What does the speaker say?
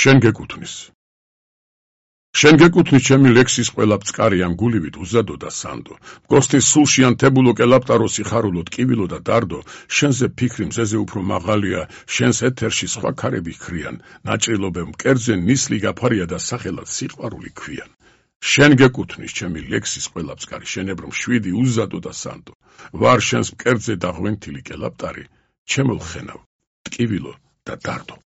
შენ გეკუთვნის. შენ გეკუთვნის ჩემი ლექსის ყველა ბწყარი ამ გულივით უზადო და სანდო. მგოსნის სულში ან თებულო კელაპტარო სიხარულო ტკივილო და დარდო, შენზე ფიქრი მზეზე უფრო მაღალია, შენს ეთერში სხვა ქარები ქრიან, ნაჭრილობებ მკერდზე ნისლი გაფარია და სახელად სიყვარული ქვიან. შენ გეკუთვნის ჩემი ლექსის ყველა ბწყარი, შენებრო მშვიდი უზადო და სანდო. ვარ შენს მკერდზე დაღვენთილი კელაპტარი, ჩემო ლხენავ, ტკივილო და დარდო.